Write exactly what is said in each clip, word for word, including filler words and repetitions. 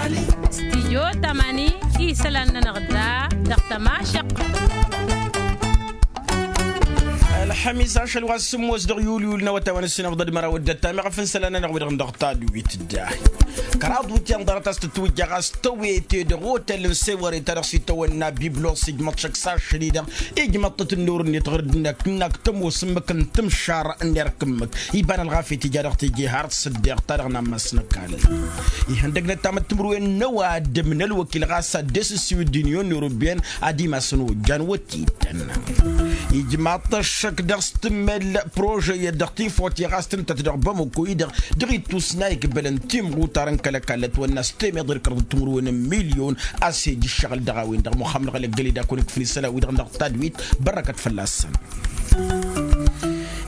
Stijyo tamani isălan-nănăɣ da dăɣ-tămašăqq. Ălxămis ašăl wa s-sǝmmos dăɣ-yulyul n-awătay wa n-ǝssinăfḍăd măraw d-ăttam iɣăf n-isălan-nănăɣ wi-dăɣ n-dăɣ tadwit. Dd-ahi kăraḍ wǝtyan ḍarăt a-s tǝtwǝjja ɣas tăwete dăɣ-otel n-sewăre ta dăɣ-s itawănna biblos ijmăḍ šăkk s-ašăl-i-dăɣ ijmăḍ-tăt ǝnnor-net ɣur-dd-năkk n-ak tămoos ǝmmǝk n-timšar n-erk ǝmmǝk. Iba n-ălɣafyăt ija dăɣ-teje har s-ǝddeɣ ta-dăɣ n-ammas n-ăkall. Ihăndăg n-ăttam d-timǝrwen n-ăwadǝm n-ălwăkil ɣas ad-dd-esǝssiwǝd d-inyon n-urubben ad-imasăn ojjan wăt-ittăn. Ijmaḍ-t ăššăk dăɣ-s tǝmmel prožăyăt dăɣ-tifot i-ɣas tǝntăt dăɣ-bamăko-i-dăɣ dăɣ-ittus n-a ikbălăn timɣutar n-kăl-ăkall ătwănna s-temeḍ irkăḍăt timǝrwen n-milyon. A-s ej ǝššăɣǝl dăɣ-a-wen-dăɣ muxămnăɣ ălăggăl-i d-akun ikfǝl isălan-wi-dăɣ n-dăɣ tadwit. Bărrăkăt fălla-săn.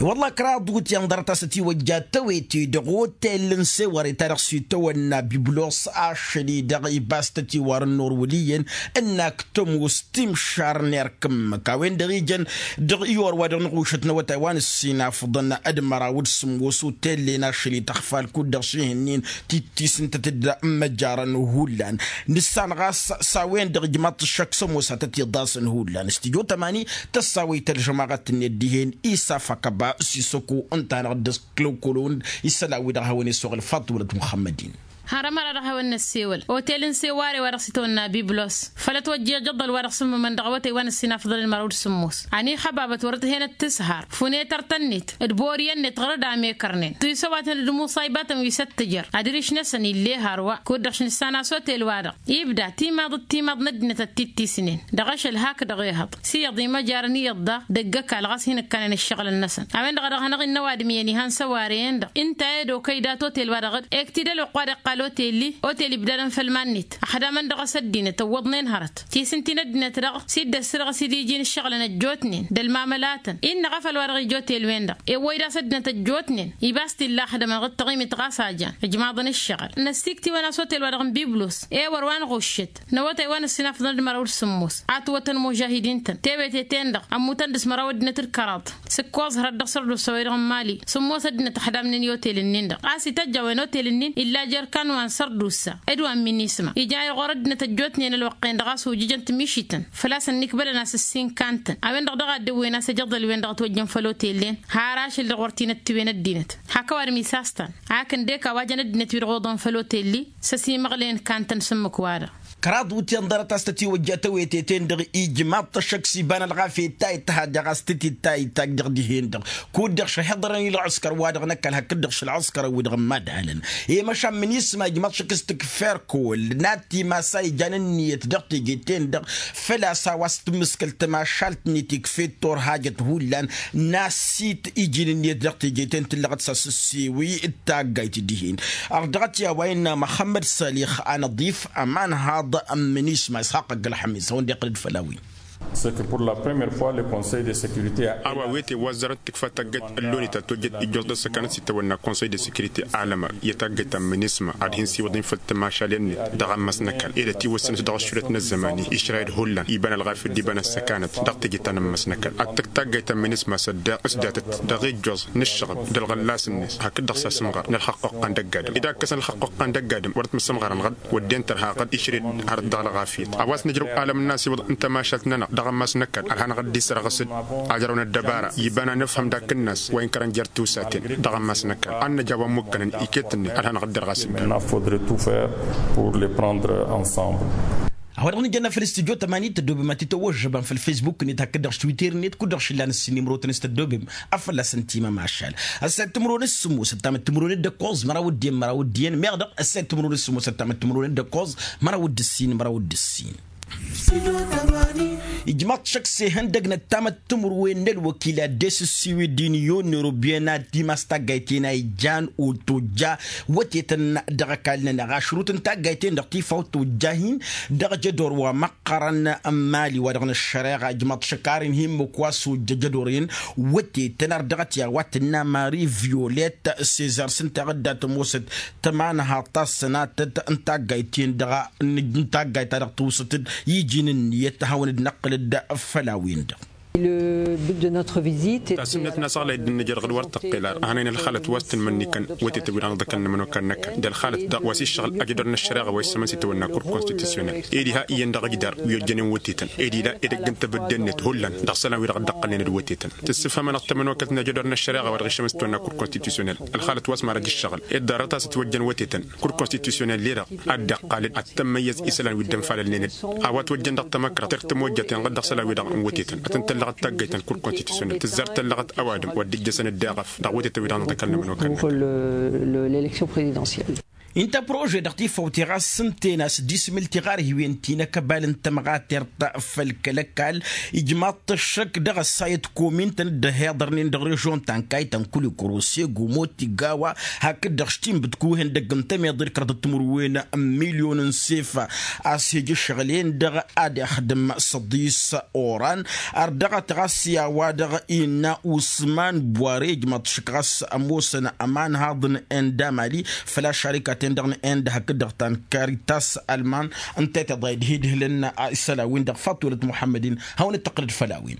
I-wălla kăraḍ wǝtyan ḍarăt a-s ătiwăjja tăwete dăɣ-otel n-sewăre ta dăɣ-s itawănna biblos ašăl-i-dăɣ ibas-tăt iwar ǝnnor wăl' iyyăn ǝnn-ak tămoos timšar n-erk ǝmmǝk a-wen-dăɣ ijăn dăɣ-iwăr wa dăɣ-năɣušăt n-awătay wa n-ǝssinafḍăn d-măraw d-sǝmmos otel-en ašăl-i tăxfal kud-dăɣ šihǝnnin tittis ǝntăt dd-măjarăn hullan. Nǝssan ɣas s-a-wen-dăɣ ijmaḍ-t ǝššăk s-ămoos a tăt-iḍasăn hullan s-tijo tămani. Tăssawăy tălžămaɣăt-net dihen isaf akăba s-isăko ǝnta-năɣ dd-ăskălăwkălăn isălan-wi-dăɣ hawăn-esoɣăl faḍt wălăt muxămmăd-in. Har ămăra-dăɣ hawăn-năssewăl otel n-seware wa dăɣ-s itwănna biblos făll-ătwăjja ijăḍḍăl wa dăɣ-s ǝmmǝmăn dăɣ-awătay wa n-ǝssin afḍăl d-măraw d-sǝmmos. Ăniixăbabăt wăr dd-hen-ăttǝshar fune tărtănnet d-boriyăn-net ɣur-dd amekărnen tisăwatăn d-imuṣaybatăn wi s-ăttǝjăr adriš-năsăn ill'-e hărwa kud-dăɣ š-nǝssan a-s otel-wa-dăɣ ibda timaḍ d-timaḍ n-ăddinăt ăttittisnen dăɣ-ašăl hakdăɣ ehăḍ s-iyyăḍ imăjarăn iyyăḍ daɣ dăgg-ăkall ɣas hin-ǝkkănăn ǝššăɣǝlăn-năsăn. A-wen-dăɣ a dăɣ-hanăɣ-innă ăwadǝm iyyăn ihăn s-ăwarăyăn-dăɣ ǝnta i-dd-okăy dat-otel-wa-dăɣ d-ektidăl oqq wa dd-iqqal otel-i otel ibdadăn făll-iman-net ăxdamăn dăɣ-s ăddinăt ǝwwăḍnen hărăt tisǝnti n-ăddinăt-dăɣ s-dd-ăssărɣǝs-dd iji n-ǝššăɣǝlăn ăjjootnen d-ălmamălatăn innă ɣăfăl wa dăɣ-ija otel-wen-dăɣ ewwăy d-a-s ăddinăt ăjjootnen ibas t-illa ăxdămăn ɣǝd taɣimit ɣas a jan ǝjmaḍăn ǝššăɣǝl. Năssiktiwăn a-s otel-wa-dăɣ n-biblos ewăr wa n-ɣuššăt n-awătay wa n-ǝssin afḍăn d-măraw d-sǝmmos a ătwătăn imužahidin-tăn tewetete-n-dăɣ ămmutăn dăɣ-s măraw ăddinăt d-kăraḍ s-ǝkkoẓ hărăt dăɣ-sărdusa-wi-dăɣ n-imali sǝmmos ăddinăt ăxdamnen i-otel-nin-dăɣ a-s ităjj a-wen otel-nin illa jer-ikan wa n-sărdusa d-wa n-minisma ija i-ɣur-ăddinăt ăjjootnen ălwăqq-en-dăɣ a-s ujǝjăn timišităn făl-a-s ănnikbălăn a-s ǝssin kantăn. A-wen-dăɣ daɣ a dd-ewwen a-s ejăḍăl-wen-dăɣ ătwăjjăn făll-otel-en har ašăl-dăɣ wăr t-in-ăttiwen ăddinăt hak ăwadǝm isastan. Ak ǝndek a-wa jăn ăddinăt wi-dăɣ oḍăn făll-otel-i s-ăsimăɣlăyăn kantăn s-ǝmmǝk-wa-dăɣ. Kăraḍ wǝtyan ḍarăt a-s tătiwăjja tăwetete-en-dăɣ ijmaḍ-t ăššăk s-iba n-ălɣafyăt ta ittăhad dăɣ-a-s tǝtit ta ittajj dăɣ-dihen-dăɣ kud-dăɣ šăhiḍărăn i-ălɣǝskăr-wa-dăɣ n-ăkall hakd-dăɣ šălɣǝskărăn-wi-dăɣ n-imadhalăn. I-măšan minisma ijmaḍ-t ăššăk s-tǝkfer kăwăl n-ad-timas a ijan ǝnniyăt dăɣ-teje-ten-dăɣ făl-a-s a-wa s-tǝmmǝskăl tămašalt-net ikf'-e turhajăt hullan n-asit iji n-ǝnniyăt dăɣ-teje-ten tǝllăɣăt s-asǝssiwi d-taggayt dihen. Ărdăɣăt i-a-wa innă măxămmăd sălix anăḍif ămanhaḍ n-minisma ishaq ăgg-ălxămis a-wen-dăɣ iqqăl-dd făll-a-wen. A-wa wete wa ăzzarăt tǝkfa taggayt ălloni ta tojjăt ijjoẓ d-ăssăkanăt s-itawănna konsăy de sekirite alăma i-taggayt ta n-minisma ad-hin-siwăḍăn făll-tămašalen-net dăɣ-ammas n-ăkall ed ătiwăssăn-s dăɣ-ăššulăt n-ăzzăman-i išrayăd hullan iba n-ălɣafyăt d-iba n-ăssăkanăt dăɣ-teje ta n-ammas n-ăkall ad-tǝkk taggayt ta n-minisma s-ădda s-datăt dăɣ-ijjoẓ n-ǝššăɣăb d-ălɣăllas-net hakd-dăɣ s-asǝmɣar n-ălxăqq oqqan d-ăgg-adǝm ed akkăsăn ălxăqq oqqan d-ăgg-adǝm wăr ătmǝssǝmɣărăn ɣǝd wădden tărha ɣǝd išred hărăt dăɣ-ălɣafyăt a-wa s-nǝjrăw alăm n-asiwǝḍ n-tămašalt-nănăɣ dăɣ-ammas n-ăkall ălhanăɣ-dd isărɣǝs-dd ajrăw n-ăddăbara iba n-anǝfhăm d-akǝnnas wa inkărăn jer-tiwsaten dăɣ-ammas n-ăkall ad-nǝja wa ămmukkănăn iket-net ălhanăɣ-dd ărɣas-dd. Maintenant faudrait tout faire pour les prendre ensemble. A-wa-dăɣ nǝjănna făll-studyo tămani tăddobem ad-t-tăwwăžžăbăm făll-facebook-net hakd-dăɣ s-twitter-net kud-dăɣ šillan ǝssin imrotăn s-tăddobem. Afălla-săn timămašal ăssayăt timǝrwen s-sǝmmos ăttamăt timǝrwen d-ăkkoẓ măraw d-iyyăn măraw d-iyyăn meɣ dăɣ-ăssayăt timǝrwen s-sǝmmos ăttamăt timǝrwen d-ăkkoẓ măraw d-ǝssin măraw d-ǝssin. Ijmaḍ šăkk s-ehăndăg n-ăttamăt timǝrwen n-ălwăkil ad-dd-esǝssiwǝd d-inyon n-urubyen ad-timas taggayt-en a ijan otojja wătetăn dăɣ-ăkall-nănăɣ ašrut n-taggayt-en-dăɣ tifawt tojja-hin dăɣ-jădor wa măqqărăn n-imali wa dăɣ-năššăreɣa ijmaḍ šăkk ar inhǝmmǝk wa s-ojja jădor-en wătetăn ar dăɣ-t i-a-wa tǝnna mari violet sezar s-ǝnta ɣǝdda tămoosăt tămanhaḍt ta s-sănatăt n-taggayt-en-dăɣ n-taggayt ta dăɣ-tǝwsǝt-dd iji n-ǝnniyăt ad-hawăn-dd-năqqǝlăd făll-a-wen-dăɣ. Le but de notre visite. Tasǝmnet n-asăɣlay dd-nǝjrăɣ d-wăr tăqqel ar ăhănăyăn ălxalăt wa s-tǝnmănnikăn wătetăn wi-dăɣ n-iḍăkăn n-ămănokal n-ăkall d-ălxalăt daɣ wa s-iššăɣǝl ajădor n-ăššăreɣa wa issămăn s-itawănna kur konstitusyonel. Ed iha iyyăn dăɣ-ajdar wi ojjănen wătetăn ed ila edăgg n-tebădde-net hullan dăɣ-isălan wi-dăɣ dd-ăqqălnen d-wătetăn. Tǝssǝfhămăn-dăɣ tămănokăt n-ajădor n-ăššăreɣa wa dăɣ-iššămăn s-itawănna kur konstitusyonel. Ălxalăt wa s-marăj ǝššăɣǝl ed ḍarăt a-s ătwăjjăn wătetăn kur konstitusyonel-i-dăɣ ad-dd-iqqal ad-tămmăyyăz isălan wi dd-ănfalălnen-dd. A-wa ătwăjjăn dăɣ-tamăkra tăr-tămojjăten ɣǝd dăɣ-isălan-wi-dăɣ n-wătetăn ad-tăn-tăllăɣăt taggăyt n-kur konstitusyonel tǝzzar tăllăɣăt ăwadǝm wa dd-ǝjjăsăn ăddeɣăf dăɣ-wătetăn-wi-dăɣ n-iḍăkăn n-ămănokal n-ăkall. Pour le- le- l'élection présidentielle. Inta prože dăɣ-tifăwte ɣas s-ǝnta enas dismǝl tiɣarhiwen ti n-akăbal n-tămɣatert făll-kăl-ăkall ijmaḍ-t ăššăk dăɣ-ăssayăt komin-tăn dd-ăhiḍărnen dăɣ-režion ta n-kaytăn kulikuro segu moti gawa hakd-dăɣ s-tinbǝtkuhen dăgg-n tămeḍe d-kăraḍăt timǝrwen n-milyon n-sefa. A-s hej ǝššăɣǝl-en-dăɣ ad-ixdǝm săḍis oran ar dăɣ-t ɣas i-a-wa-dăɣ innă usman bware ijmăḍ šǝk ɣas ămoosăn ămanhaḍ n-end amali făl ašarikaten-dăɣ n-end hakd-dăɣ ta n-karitas alman. Ǝnta i-tiḍa idhidhǝlăn isălan-win-dăɣ fatwălăt muḥămmăd-in hawăn-dd-tăqqǝlăd făll-a-wen.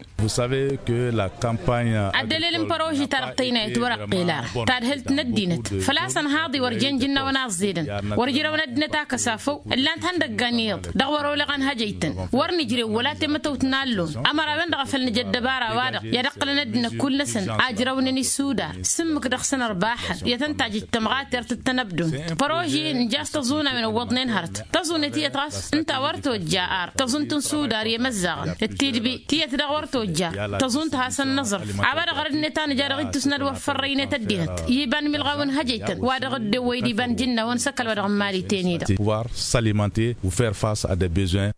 Ad-dălel n-păroži ta dăɣ-tăynayăt wăr-ăqqel ara tadhǝlt n-ăddinăt făl-a-s ănhaḍ-i wăr jen jǝnnawăn aẓẓedăn wăr ǝjrăwăn ăddinăt a kăsafăw. Ǝllan-t ihăndăggan iyyăḍ dăɣ-wăr-oleɣ ănhăjăy-tăn wăr nǝjrew wăla temătăwt n-allon ămărawen-dăɣ a făl nǝja ăddăbara-wa-dăɣ i-ad-ǝqqǝlăn ăddinăt kull-năsăn a ǝjrăwnen isudar s-ǝmmǝk dăɣ-săn ărbaxăn i-ad-tăn-tajǝj tămɣatert d-tanăbdont. Păroži nǝja a-s tăẓunăwen ǝwwăḍnen hărăt tăẓunet iyyăt ɣas ǝnta a wăr tojja ar tăẓunt n-sudar i-imăzzaɣăn d-tidbi tiyyăt daɣ wăr tojja. Tăẓunt hasăn-năẓrǝf a-wa-dăɣ ărădnet a nǝja dăɣ-ittus n-ad-wăr fărrăynet ăddinăt i-iba n-imilɣawen hăjăy-tăn wa dăɣ-dd-ewwăy d-iba n-jǝnnawăn s-ăkall wa dăɣ-n mali ten-i-dăɣ. Pouvoir s'alimenter ou faire face à des besoins.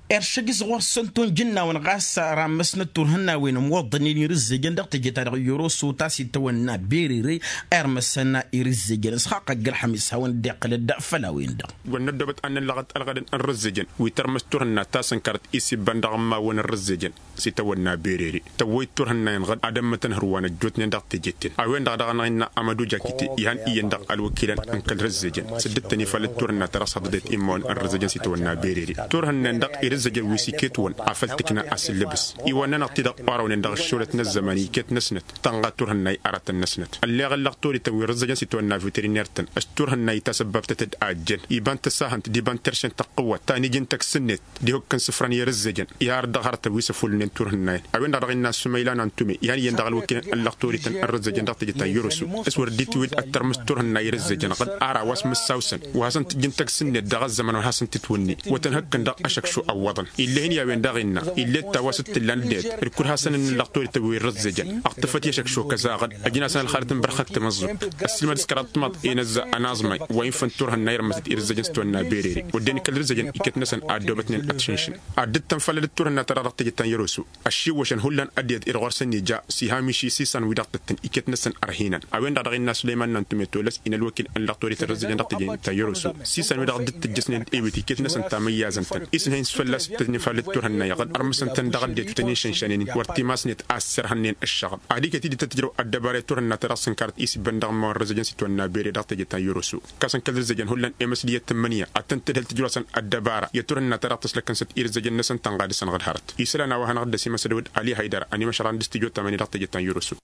Eršăg-s ɣur-săn tunjǝnnawăn ɣas ramăsnăt turhǝnnawen ămwăḍnen irǝzzejăn dăɣ-teje-ta-dăɣ yoroso ta s-itawănna berere. Irmăsăn irǝzzejăn s-xaqq ăgg-ălxămis hawăn-dd-iqqǝlăd făll-a-wen-dăɣ. Wăr năddobăt ad-năl lăɣăt ălɣădăn n-irǝzzejăn wi tărmǝs turhǝnna ta s-ǝnkărăt isibbăn dăɣ-immawăn n-irǝzzejăn s-itawănna berere tăwwăy-dd turhǝnna-in ɣǝd ad-ămmătăn hărwa n-ăjjootnen dăɣ-tejet-ten. A-wen-dăɣ daɣ-năɣ innă amăduj akite ihăn iyyăn dăɣ-ălwăkilăn n-kăl-rǝzzejăn s-dd-tăn-ifalăt turhǝnna ta dăɣ-s hăḍḍădet immawăn n-rǝzzejăn s-itawănna berere. Turhǝnna-en-dăɣ irǝzzejăn wi s-iket-wăn afăl tǝkna asǝllǝbǝs iwănna-năɣ-t-dăɣ orăwnen dăɣ-ăššolăt n-ăzzăman iket-năsnăt tănɣa turhǝnna i-aratăn-năsnăt. Ălleɣ ăllăɣ torităn wi n-rǝzzăjăn s-itawănna veteriner-tăn s-turhǝnna itasăbbabtăt-dd a ăjjăn iba n-tăsahănt d-iba n-terše n-tăqqǝwwăt ta n-iji n-tăgg-sǝnnet d-ihukk n-isǝfrăn i-rǝzzăjăn. Iha ard dăɣ-hărătăn wi s-ăfullǝnen turhǝnna-en a-wen-dăɣ dăɣ-innă ăssumăyla n-antume ihăn iyyăn dăɣ-ălwăkilăn n-ăllăɣ torităn n-rǝzzăjăn dăɣ-teje ta n-yăroso. S-wăr dd-itwǝy d-ad-tărmǝs turhǝnna i-rǝzzăjăn ɣǝd ara wa s-mǝssawsăn wa hasăn-tǝjjǝn tăgg-sǝnnet dăɣ-ăzzăman wa hasăn-tǝtwǝnne wăr tăn-hăkkăn dăɣ-ašăkšu ăwwăḍăn. Ill'-e-hin i-a-wen daɣ innă ill'-e d ta wa s-dd-tǝllan dd-et d-kulh-hasăn-ǝnnǝllăɣ torităn wi n-rǝzzăjăn. Ăɣtǝfăt i-ašăkšu kăzaɣăd ăjǝn-asăn ălxalăt n-bărxăk timǝẓẓubt ăssiilmăd s-kăraḍ timaḍ i-inǝzza ănaẓmay wa infăn turhǝnna irmăs-dd irǝzzăjăn s-tiwănna berere. Wădden ikăl irǝzzăjăn iket-năsăn a ăddoobătnen ad-t-šǝnšǝn ad-dd-tăn-făllădăt turhǝnna ta dăɣ-dăɣ teje ta n-yăroso. Ăššiwwăšăn hullan ăddinăt-i-dăɣ ɣur-săn ija s-iha miši s-isan-wi-dăɣ tǝttǝn iket-năsăn ărhinăn. A-wen-dăɣ dăɣ-innă sulăyman n-antume tolăs-in ălwăkil n-lăɣ torităn rǝzzăjăn dăɣ-teje ta n-yăroso. S-isan-wi-dăɣ dd-tǝjjăsnen d-ewit iket-năsăn tamăyyazăn-tăn isnăhăyăn s-fălla-s ǝttăjnen fal d-turhǝnna iɣăd ărmǝsăn-tăn dăɣ-ăddinăt wi tăn-išǝnšănen-in wăr timasnet a ăssirhănnen ǝššăɣǝl. Ad-iket-dd tăt-ǝjrăw ăddăbara i-turhǝnna ta dăɣ-s ǝnkărăt isibbăn dăɣ-ămmawăn rǝzzăjăn s-itwănna bere dăɣ-teje ta n-yăroso. Kasăn kăl-rǝzzăjăn hullan i-măsdiyăt tǝmmǝnǝya ad-tăn-tǝdhǝl tǝjrosăn ăddăbara i-turhǝnna ta dăɣ-tăslăkkăn săt irǝzzăjăn-năsăn tănɣa dăɣ-săn ɣǝd hărăt. Isălan a-wa hanăɣ-dd-ăsimăsăd wădd ali haydăra ănimăšăran d-studyo tamani dăɣ-teje ta n-yăroso.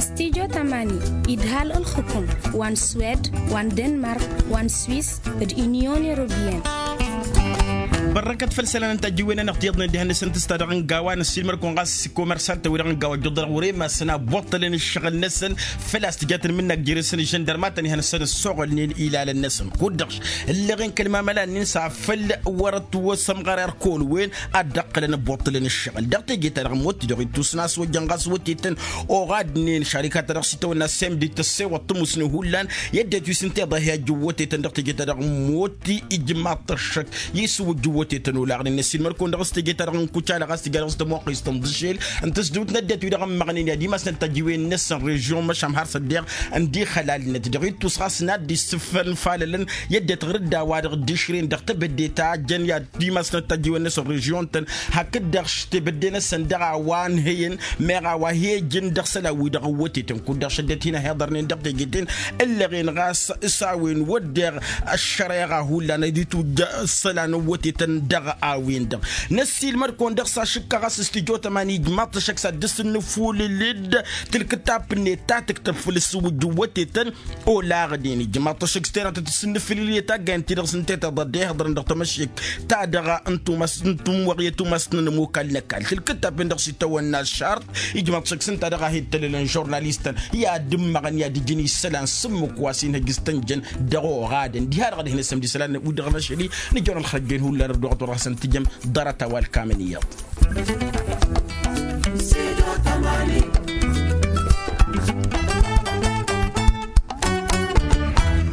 Studyo tamani idhal ǝlxǝkum wa n-swed wa n-denmark wa n-swis d-inyon europeyăn. Bărrăkăt făll-isălan n-tajjiwen-anăɣ tiyyăḍnen dihen-năsăn tǝsta dăɣ-ǝnga wa n-ăssiilmăd-kăwăn ɣas s-komersant-tăn-wi-dăɣ ǝnga wa ăjjuḍ-dăɣ wăr-e masăn a ǝbbuṭṭălăn ǝššăɣǝl-năsăn. Făl-a-s tǝja tǝnmǝnna ăgg-jere-săn ižăndărmatăn ihăn-săn ăssoɣălnen ilalăn-năsăn kud-dăɣ ǝlleɣ-en kăl-mamăla-nin s-afăl wăr-ătwăsămɣăr erk olwen ad-dd-ăqqǝlăn ăbbuṭṭǝlăn ǝššăɣǝl dăɣ-teje-ta-dăɣ n-motti dăɣ-ittus n-a-s ojjăn ɣas wătetăn. Oɣadnen šarika-ta-dăɣ s-itawănna s-emdi tăssewăḍ tǝmusne hullan i-ăddinăt wi s-ǝnta iḍa hi-ajjǝw wătetăn dăɣ-teje-ta-dăɣ n-motti ijmaḍ-t ăššăk. Isǝwǝjjǝw wătetăn olaɣnen ăssiilmăd-kăwăn dăɣ-s teje-ta-dăɣ n-kucala ɣas tǝja dăɣ-s tămoqqist n-dăšel n-tǝsdǝwt n-ăddinăt-wi-dăɣ ămmăɣnen i-ad-imasnăt tajǝwen-năsăn režion măšan har s-ăddeɣ. Ǝndiɣ xălalnăt dăɣ-ittus ɣas n-ad-dd-issǝfănfalălăn i-ăddinăt ɣǝr-dd a-wa-dăɣ dd-išren dăɣ-tebădde ta jăn i-ad-imasnăt tajǝwen-năsăn režion-tăn. Hakd-dăɣ tebădde-năsăn dăɣ-a-wa ǝnhăyăn meɣ a-wa hi-ǝjǝn dăɣ-isălan-wi-dăɣ ǝwwătetăn kud-dăɣ šăddăt hin-ăhiḍărnen dăɣ-teje-ten. Ǝllăɣen ɣas s-a-wen wădden ăššăreɣa hullan ad-itwǝjj isălan ǝwwătetăn. dăɣ-a-wen-dăɣ. Năssiilmăd-kăwăn dăɣ-s ašǝkka ɣas s-tijot ămani ijmaḍ-t ăššăk s-ad-dd-sǝnnǝfulǝl-dd tǝlkǝtapp-net ta tǝktăb făll-ǝssǝwǝjjǝw wătetăn olaɣden ijmaḍ-t ăššăk s-terătăt ǝssǝnnǝfulǝl i-taggayăn-ti-dăɣ s-ǝnta i-tiḍa dd-ehăḍrăn dăɣ-tamăššek ta dăɣ-n tumas n-tumwăɣyăt umasnăn ămukal n-ăkall tǝlkǝtapp-en-dăɣ s-itawănna ăššarṭ. Ijmaḍ-t ăššăk s-ǝnta dăɣ-a hi-ǝttălălăn žurnalistăn i-ad-ǝmmăɣăn i-ad-ǝjǝn isălan s-ǝmmǝk wa s-hin-hăj s-tănjăn dăɣ-oɣadăn diha-dăɣ ad-hin-ăssămd isălan wi-dăɣ n-ašăl-i nǝjăwăn ălxărăjjen hullan ăddoɣăt wăr-hasăn-tǝjăm ḍarăt-a-wa ălkamăn iyyăḍ.